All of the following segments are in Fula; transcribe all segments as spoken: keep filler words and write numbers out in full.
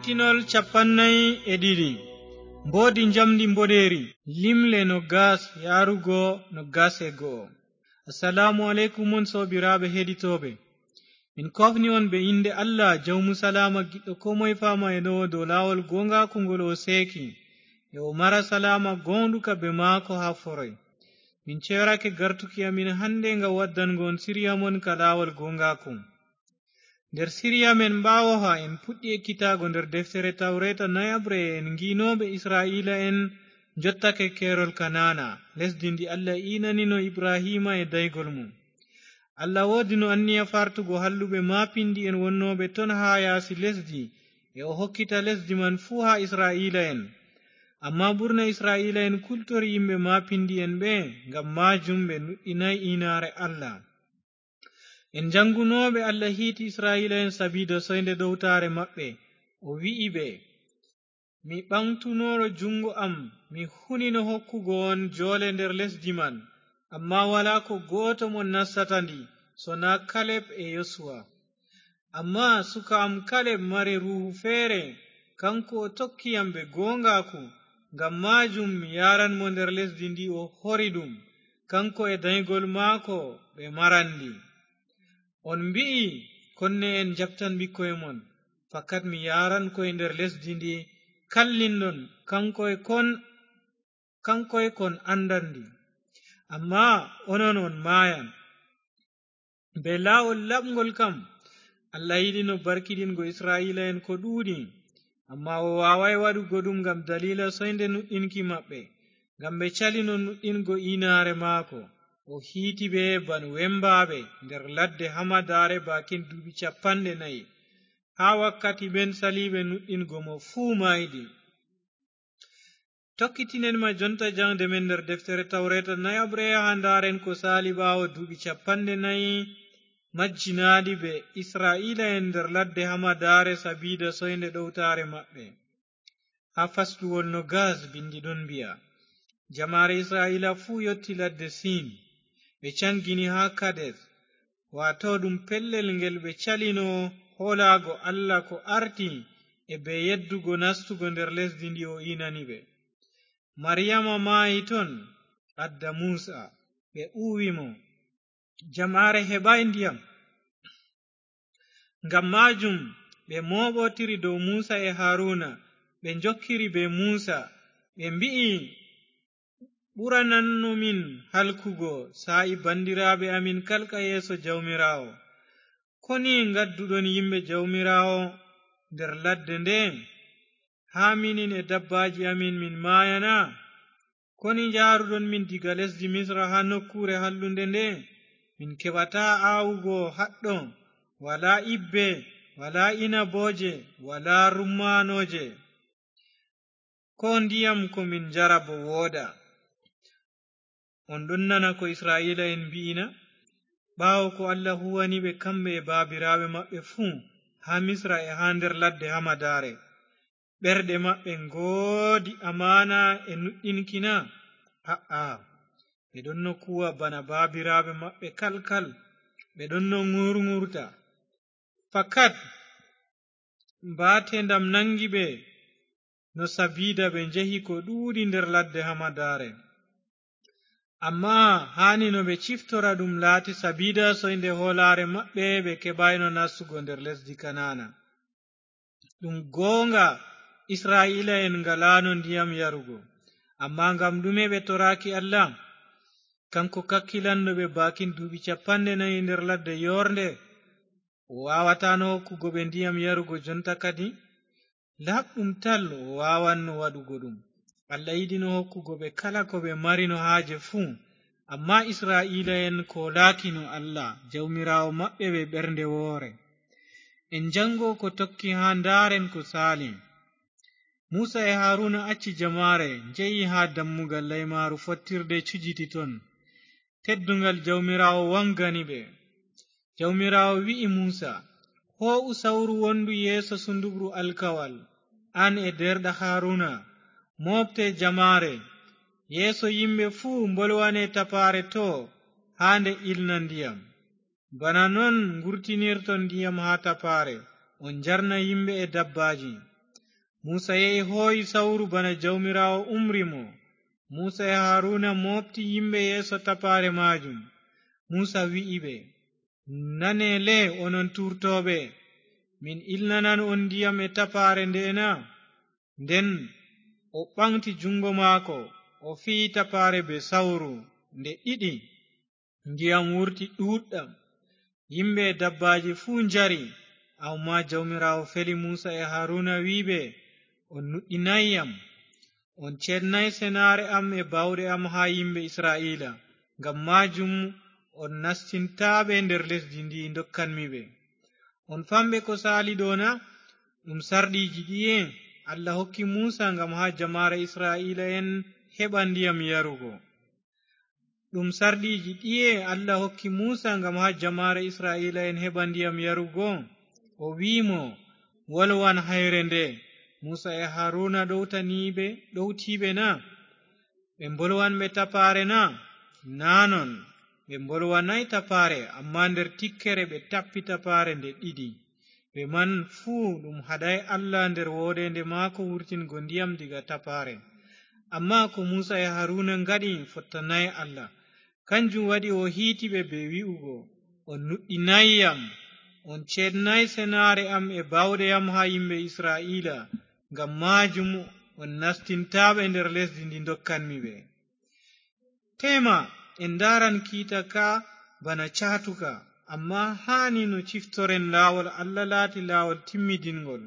Tinol capannay e ɗiɗi. Mboodi njamndi mboɗeeri. Limle no gas yaarugo no gas e go'o. Assalaamu aleykum on soobiraaɓe heɗitooɓe. Min koofni on be innde Allah, jawmu salaama, giɗɗo koo moye faama e ɗowo dow laawol gooŋgaaku ngol o seeki, e o mara salaama gooŋɗuka be maako haa foroy. Min ceerake gartuki amin hannde ngam waddango on siriya mon ka laawol gooŋgaaku. Nder siriya men ɓaawoha, en puɗɗi ekkitaago nder deftere Tawreeta nayaɓre, en ngi'nooɓe Isra'iila'en njottake keerol Kanaana, lesdi ndi Allah iinanino Ibrahiima e daygol mum. Allah woodino anniya fartugo halluɓe maapindi'en wonnooɓe ton haa yaasi lesdi, e o hokkita lesdi man fuu haa Isra'iila'en. Ammaa ɓurna Isra'iila'en kultori yimɓe maapindi'en ɓe, ngam maajum ɓe nuɗɗinaay iinaare Allah. En janngunooɓe Allah hiiti Isra'iila'en sabiida soynde ɗowtaare maɓɓe, o wi'i ɓe, "Mi ɓaŋgtunooɗo juŋngo am, mi hunino hokkugo on joole nder lesdi man, ammaa walaa ko gooto mon nastata ndi, sonaa Kaleb e Yosuwa. Ammaa suka am Kaleb mari ruuhu feere, kaŋko o tokki yam be gooŋgaaku, ngam maajum mi yaaran mo nder lesdi ndi o hori ɗum, kaŋko e danygol maako ɓe maran ndi." On mbi'i, "Konne'en njaɓtan ɓikkoy mon." Fakat mi yaaran koy nder lesdi ndi kallinɗon, kaŋkoy kon, kaŋkoy kon anndan ndi. Ammaa onon on maayan. Be laawol laɓŋgol kam, Allah yiɗino barkiɗingo Isra'iila'en ko ɗuuɗi, ammaa o waawaay waɗugo ɗum ngam daliila soynde nuɗɗinki maɓɓe, ngam ɓe calino nuɗɗingo iinaare maako. O hiiti ɓe ban wembaaɓe nder ladde hamadaare baakin duuɓi cappanɗe nayi. Haa wakkati ɓen saliiɓe nuɗɗingo mo fuu maayɗi. Tokkitinen ma jonta jaŋde men nder deftere Tawreeta nayaɓre, haa ndaaren ko saali ɓaawo duuɓi cappanɗe nayi majjinaaɗi be Isra'iila'en nder ladde hamadaare sabiida soynde ɗowtaare maɓɓe. Haa fasluwol no gas bindi ɗon mbi'a, "Jamaare Isra'iila fuu yotti ladde Sin, ɓe caŋgini haa Kades, waato ɗum pellel ngel ɓe calino hoolaago Allah ko arti e be yeddugo nastugo nder lesdi ndi o iinani ɓe. Mariyama maayi ton, adda Muusa, ɓe uwi mo. Jamaare heɓaay ndiyam. Ngam maajum ɓe mooɓotiri dow Muusa e Haruna, ɓe njokkiri be Muusa, ɓe mbi'i, 'Ɓurananno min halkugo saa'i bandiraaɓe amin kalka yeeso Jawmiraawo. Koni ngadduɗon yimɓe Jawmiraawo nder ladde nde, haa minin e dabbaaji amin min maayana? Koni njaaruɗon min diga lesdi Misra haa nokkuure hallunde nde? Min keɓataa aawugo haɗɗo, walaa ibbe, walaa inabooje, walaa rummaanooje. Koo ndiyam ko min njara boo woodaa.'" On ɗon nana ko Isra'iila'en mbi'i na? Ɓaawo ko Allah huuwani ɓe, kamɓe e baabiraaɓe maɓɓe fuu, haa Misra e haa nder ladde hamadaare, ɓerɗe maɓɓe ngoodi amaana e nuɗɗinki na? A'a, ɓe ɗonno kuuwa bana baabiraaɓe maɓɓe kalkal, ɓe ɗonno ŋurŋurta. Fakat, mbaatendam naŋgi ɓe, no sabiida ɓe njehi ko ɗuuɗi nder ladde hamadaare. Ammaa haani no ɓe ciftora ɗum laati sabiida soynde hoolaare maɓɓe, ɓe keɓaayno nastugo nder lesdi Kanaana. Ɗum gooŋga, Isra'iila'en ngalaano ndiyam yarugo. Ammaa ngam ɗume ɓe toraaki Allah? Kaŋko kakkilanɗo ɓe baakin duuɓi cappanɗe nayi nder ladde yoornde, o waawataano hokkugo ɓe ndiyam yarugo jonta kadi? Laaɓɗum tal, o waawanno waɗugo ɗum. Allah yiɗino hokkugo ɓe kala ko ɓe marino haaje fuu, ammaa Isra'iila'en koolaakino Allah, Jawmiraawo maɓɓe bee ɓernde woore. En jaŋgo ko tokki haa ndaaren ko saali. Muusa e Haruna acci jamaare, njehi haa dammugal laymaaru fottirde cujiti ton. Tedduŋgal Jawmiraawo waŋgani ɓe. Jawmiraawo wi'i Muusa, "Hoo'u sawru wondu yeeso sundukru alkawal, an e deerɗa Haruna, mooɓte jamaare, yeeso yimɓe fuu mbolwane tapaare to haa nde ilna ndiyam. Bana non ngurtinirton ndiyam haa tapaare, on njarna yimɓe e dabbaaji. Muusa yehi hoo'i sawru bana Jawmiraawo umri mo. Muusa e Haruna mooɓti yimɓe yeeso tapaare maajum. Muusa wi'i ɓe, "Nane le, onon tuurtooɓe! Min ilnanan on ndiyam e tapaare nde'e na?" Nden o ɓaŋgti juŋngo maako, o fiyi tapaare bee sawru nde ɗiɗi. Ndiyam wurti ɗuuɗɗam. Yimɓe e dabbaaji fuu njari. Ammaa Jawmiraawo feli Muusa e Haruna, wi'i ɓe, "On nuɗɗinaay yam. On ceednaay senaare am e baawɗe am haa yimɓe Isra'iila. Ngam maajum on nastintaa ɓe nder lesdi ndi ndokkanmi ɓe. On famɓe ko saali ɗo na? Ɗum sarɗiiji ɗiye Allah hokki Muusa ngam haa jamaare Isra'iila'en heɓa ndiyam yarugo." Ɗum sarɗiiji ɗiye Allah hokki Muusa ngam haa jamaare Isra'iila'en heɓa ndiyam yarugo? O wi'i mo, "Wolwan hayre nde." Muusa e Haruna ɗowtani ɓe, ɗowti ɓe na? Ɓe mbolwanɓe tapaare na? Naa non, ɓe mbolwanaay tapaare, ammaa nder tikkere ɓe tappi tapaare nde ɗiɗi. Ɓe man fuu ɗum haɗaay Allah nder wooɗeende maako wurtingo ndiyam diga tapaare. Ammaa ko Muusa e Haruna ngaɗi fottanaay Allah. Kanjum waɗi o hiiti ɓe bee wi'ugo, "On nuɗɗinaay yam, on ceednaay senaare am e baawɗe am haa yimɓe Isra'iila. Ngam maajum on nastintaa ɓe nder lesdi ndi ndokkanmi ɓe." Teema, en ndaaran kiita ka bana caatuka, ammaa haani no ciftoren laawol Allah laati laawol timmidiŋgol.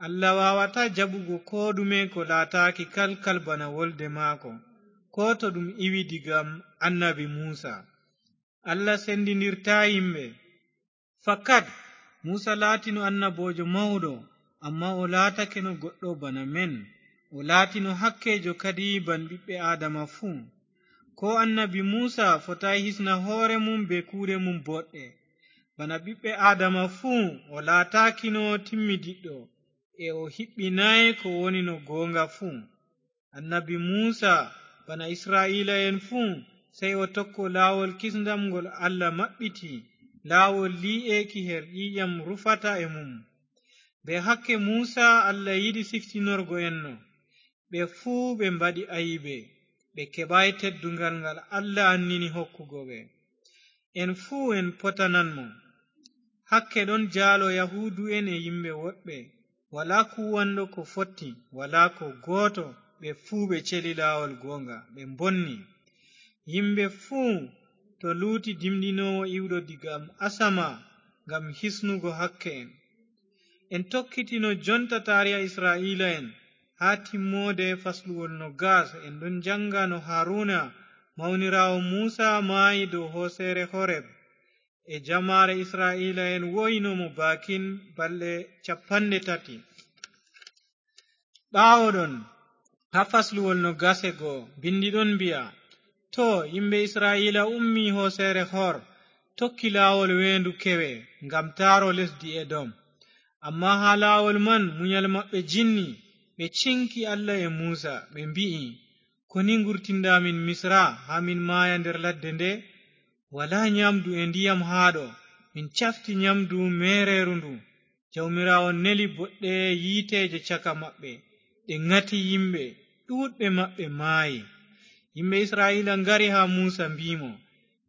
Allah waawataa jaɓugo koo ɗume ko laataaki kalkal bana wolde maako, koo to ɗum iwi diga annabi Muusa. Allah sendindirtaa yimɓe. Fakat, Muusa laatino annaboojo mawɗo, ammaa o laatakeno goɗɗo bana men. O laatino hakkeejo kadi ban ɓiɓɓe Aadama fuu. Koo annabi Muusa fotaay hisna hoore mum bee kuuɗe mum boɗɗe. Bana ɓiɓɓe Aadama fuu, o laataakino timmidiɗɗo, e o hiɓɓinaay ko woni no gooŋga fuu. Annabi Muusa, bana Isra'iila'en fuu, sey o tokko laawol kisndam ngol Allah maɓɓiti, laawol lii'eeki her ƴiiƴam rufata e mum. Bee hakke Muusa Allah yiɗi siftinorgo en no. Ɓe fuu ɓe mbaɗi ayibe, ɓe keɓaay tedduŋgal ngal Allah annini hokkugo ɓe. En fuu en potanan mo. Hakke ɗon jaalo Yahuudu'en e yimɓe woɗɓe. Walaa kuuwanɗo ko fotti, walaa ko gooto, ɓe fuu ɓe celi laawol gooŋga, ɓe mbonni. Yimɓe fuu to luuti dimɗinoowo iwɗo diga asama ngam hisnugo hakke'en. En tokkitino jonta taariha Isra'iila'en. Haa timmoode fasluwol noogas, en ɗon jaŋga no Haruna, mawniraawo Muusa, maayi dow hooseere Horeb, e jamaare Isra'iila'en wo'ino mo baakin balɗe cappanɗe tati. Ɓaawo ɗon, haa fasluwol noogas e go'o, binndi ɗon mbi'a, "Too, yimɓe Isra'iila ummi hooseere Hor, tokki laawol weendu kewe ngam taaro lesdi Edom. Ammaa haa laawol man munyal maɓɓe jinni, ɓe ciŋki Allah e Muusa, ɓe mbi'i, 'Koni ngurtinɗa min Misra haa min maaya nder ladde nde? Walaa nyaamdu e ndiyam haa ɗo, min cafti nyaamdu meereerundu.' Jawmiraawo neli boɗɗe yiiteeje caka maɓɓe, ɗe ŋati yimɓe, ɗuuɗɓe maɓɓe maayi. Yimɓe Isra'iila ngari haa Muusa, mbi'i mo,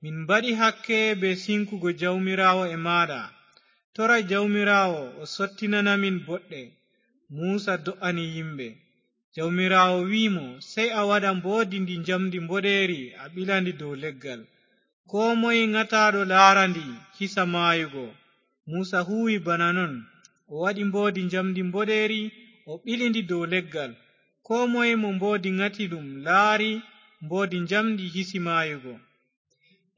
'Min mbaɗi hakke bee siŋkugo Jawmiraawo e maaɗa. Tora Jawmiraawo o sottinana min boɗɗe.' Muusa do'ani yimɓe. Jawmiraawo wi'i mo, 'Sey a waɗa mboodi ndi njamndi mboɗeeri, a ɓila ndi dow leggal. Koo moy ŋataaɗo laara ndi, hisa maayugo.' Muusa huuwi bana non. O waɗi mboodi njamndi mboɗeeri, o ɓili ndi dow leggal. Koo moy mo mboodi ŋati ɗum laari mboodi njamndi, hisi maayugo.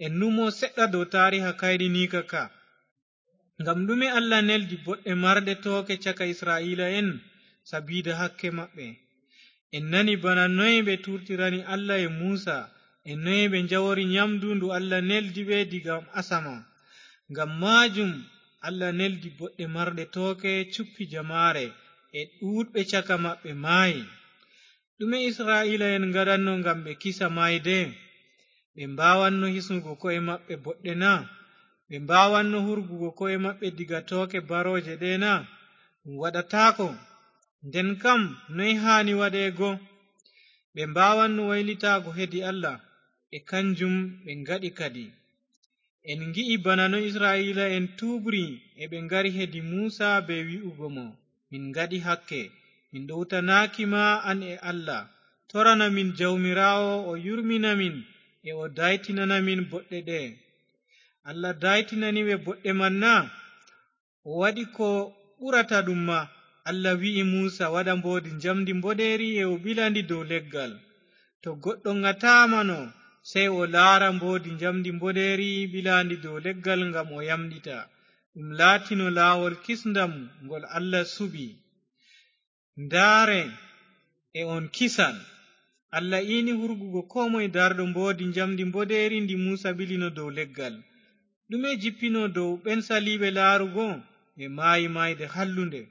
En numo seɗɗa dow taariha kayɗiniika ka. Ngam ɗume Allah neldi boɗɗe marɗe tooke caka Isra'iila'en? Sabiida hakke maɓɓe. En nani bana noy ɓe tuurtirani Allah e Muusa, e noy ɓe njawori nyaamdu ndu Allah neldi ɓe diga asama. Ngam maajum Allah neldi boɗɗe marɗe tooke, cuppi jamaare, e ɗuuɗɓe caka maɓɓe maayi. Ɗume Isra'iila'en ngaɗanno ngam ɓe kisa maayde? Ɓe mbaawanno hisnugo ko'e maɓɓe boɗɗe na? Ɓe mbaawanno hurgugo ko'e maɓɓe diga tooke barooje ɗe na? Ɗum waɗataako. Nden kam, noy haani waɗeego? Ɓe mbaawanno waylitaago hedi Allah, e kanjum ɓe ngaɗi kadi. En ngi'i bana no Isra'iila'en tuubri, e ɓe ngari hedi Muusa bee wi'ugo mo, "Min ngaɗi hakke, min ɗowtanaaki ma an e Allah. Torana min Jawmiraawo o yurmina min, e o daytinana min boɗɗe ɗe'e." Allah daytinani ɓe boɗɗe man na? O waɗi ko ɓurata ɗum ma. Allah wi'i Muusa waɗa mboodi njamndi mboɗeeri e o ɓila ndi dow leggal. To goɗɗo ŋataamano, sey o laara mboodi njamndi mboɗeeri ɓilaandi dow leggal ngam o yamɗita. Ɗum laatino laawol kisndam ngol Allah suɓi. Ndaare, e on kisan. Allah iini hurgugo koo moy darɗo mboodi njamndi mboɗeeri ndi Muusa ɓilino dow leggal. Ɗume jippino dow ɓen saliiɓe laarugo? Ɓe maayi maayde hallunde.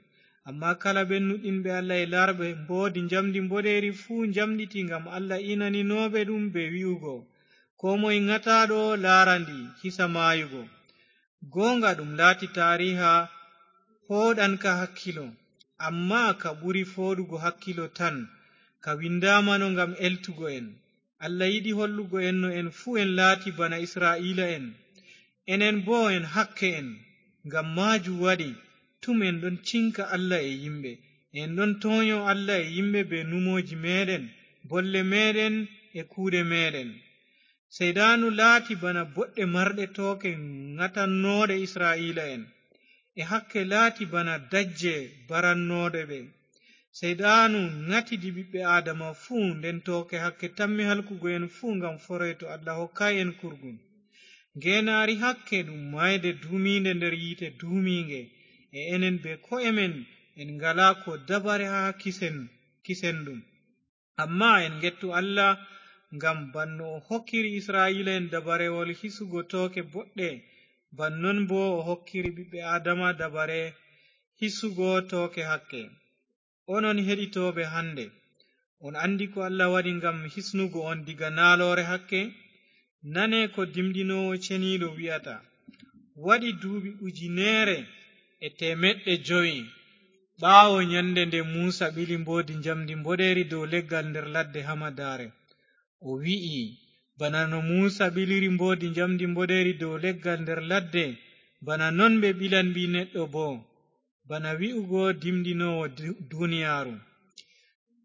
Ammaa kala ɓen nuɗɗinɓe Allah e laarɓe mboodi njamndi mboɗeeri fuu njamɗiti ngam Allah iinaninooɓe ɗum bee wi'ugo, "Koo moy ŋataaɗo laara ndi, hisa maayugo." Gooŋga ɗum laati taariha pooɗanka hakkilo, ammaa ka ɓuri fooɗugo hakkilo tan, ka windaamano ngam eltugo en. Allah yiɗi hollugo en no en fuu en laati bana Isra'iila'en. Enen boo en hakke'en. Ngam maajum waɗi tum en ɗon cinka Allah e yimɓe. En ɗon toonyo Allah e yimɓe bee numooji meeɗen, bolle meeɗen e kuuɗe meeɗen. Seyɗaanu laati bana boɗɗe marɗe tooke ŋatannooɗe Isra'iila'en, e hakke laati bana dajje barannooɗe ɓe. Seyɗaanu ŋatidi ɓiɓɓe Aadama fuu, nden tooke hakke tammi halkugo en fuu ngam foroy to Allah hokkaay en kurgun. Ngeenaari hakke ɗum maayde duumiinde nder yiite duumiiŋge, e enen bee ko'e men en ngalaa koo dabare haa kisen, kisen ɗum. Ammaa en ngettu Allah, ngam ban no o hokkiri Isra'iila'en dabarewol hisugo tooke boɗɗe, ban non boo o hokkiri ɓiɓɓe Aadama dabare hisugo tooke hakke. Onon heɗitooɓe hande, on anndi ko Allah waɗi ngam hisnugo on diga naaloore hakke? Nane ko dimɗinoowo ceniiɗo wi'ata, "Waɗi duuɓi ujineere e teemeɗɗe jowi ɓaawo nyande nde Muusa ɓili mboodi njamndi mboɗeeri dow leggal nder ladde hamadaare." O wi'i, "Bana no Muusa ɓiliri mboodi njamndi mboɗeeri dow leggal nder ladde, bana non ɓe ɓilan Ɓii Neɗɗo boo, bana wi'ugo dimɗinoowo du-, duniyaaru.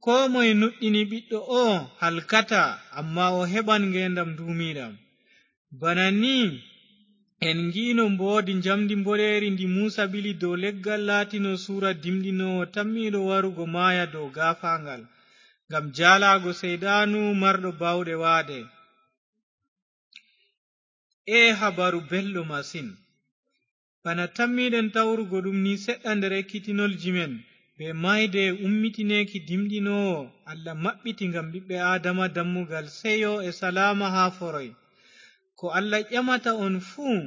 Koo moye nuɗɗini Ɓiɗɗo oo halkata, ammaa o heɓan ngeendam nduumiiɗam." Bana nii en ngi'no mboodi njamndi mboɗeeri ndi Muusa ɓili dow leggal laatino suura dimɗinoowo tammiiɗo warugo maaya dow gaafaangal, ngam jaalaago Seyɗaanu marɗo baawɗe waade. Ee habaru belɗo masin! Bana tammiiɗen tawrugo ɗum nii seɗɗa nder ekkitinolji men, bee maayde e ummitineeki dimɗinoowo, Allah maɓɓiti ngam ɓiɓɓe Aadama dammugal seyo e salaama haa foroy. Ko Allah ƴamata on fuu,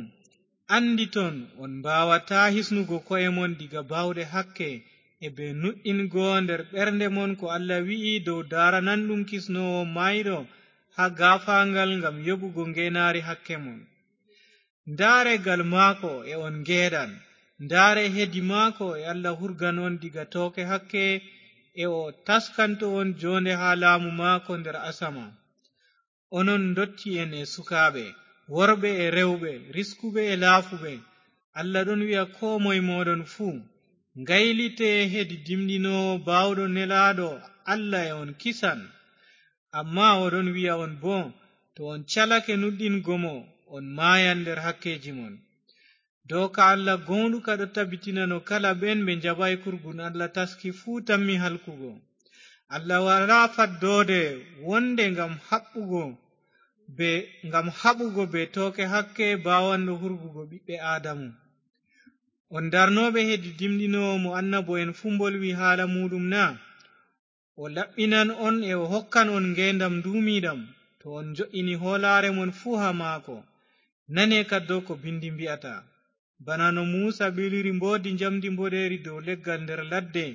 annditon on mbaawataa hisnugo ko'e mon diga baawɗe hakke e bee nuɗɗingo nder ɓernde mon ko Allah wi'i dow daarananɗum kisnoowo maayɗo haa gaafaangal ngam yoɓugo ngeenaari hakke mon. Ndaare gal maako e on ngeeɗan, ndaare hedi maako e Allah hurgan on diga tooke hakke, e o taskanto on joonde haa laamu maako nder asama. Onon ndotti'en e sukaaɓe, worɓe e rewɓe, riskuɓe e laafuɓe, Allah ɗon wi'a koo moy mooɗon fuu, ngaylite hedi dimɗinoowo baawɗo nelaaɗo Allah e on kisan. Ammaa o ɗon wi'a on boo, to on calake nuɗɗingo mo, on maayan nder hakkeeji mon. Dooka Allah gooŋɗuka ɗo tabbitinano kala ɓen ɓe njaɓaay kurgun Allah taski fuu tammi halkugo. Allah walaa faddoode wonde ngam haɓɓugo be, ngam haɓugo be tooke hakke baawanɗo hurgugo ɓiɓɓe Aadamu. On darnooɓe hedi dimɗinoowo mo annabo'en fuu mbolwi haala muuɗum na? O laɓɓinan on e o hokkan on ngeendam nduumiiɗam, to on njo'ini hoolaare mon fuu haa maako. Nane kaddo ko bindi mbi'ata. Bana no Muusa ɓiliri mboodi njamndi mboɗeeri dow leggal nder ladde,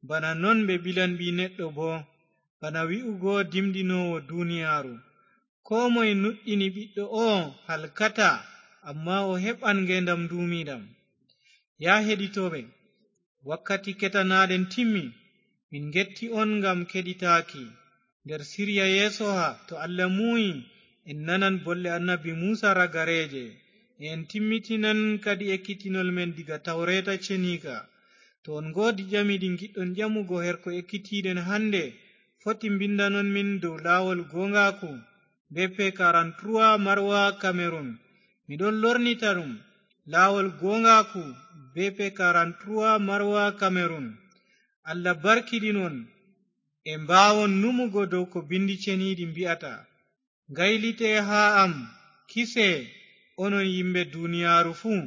bana non ɓe ɓilan Ɓii Neɗɗo boo, bana wi'ugo dimɗinoowo duniyaaru. Koo moye nuɗɗini Ɓiɗɗo oo halkataa, ammaa o heɓan ngeendam nduumiiɗam. Yaa heɗitooɓe, wakkati ketanaaɗen timmi. Min ngetti on ngam keɗitaaki. Nder sirya yeesoha, to Allah muuyi, en nanan bolle annabi Muusa ragareeje, e en timmitinan kadi ekkitinol men diga Tawreeta Ceniika. To on ngoodi ƴami ɗi ngiɗɗon ƴamugo her ko ekkitiiɗen hannde, foti mbinndanon min dow laawol gooŋgaaku, B P quarante-trois Marwa Cameroun. Miɗon lornita ɗum, laawol gooŋgaaku, B P quarante-trois Marwa Cameroun. Allah barkiɗin on, e mbaawon numugo dow ko binndi ceniiɗi mbi'ata. Ngaylitee haa am, kisee, onon yimɓe duniyaaru fuu.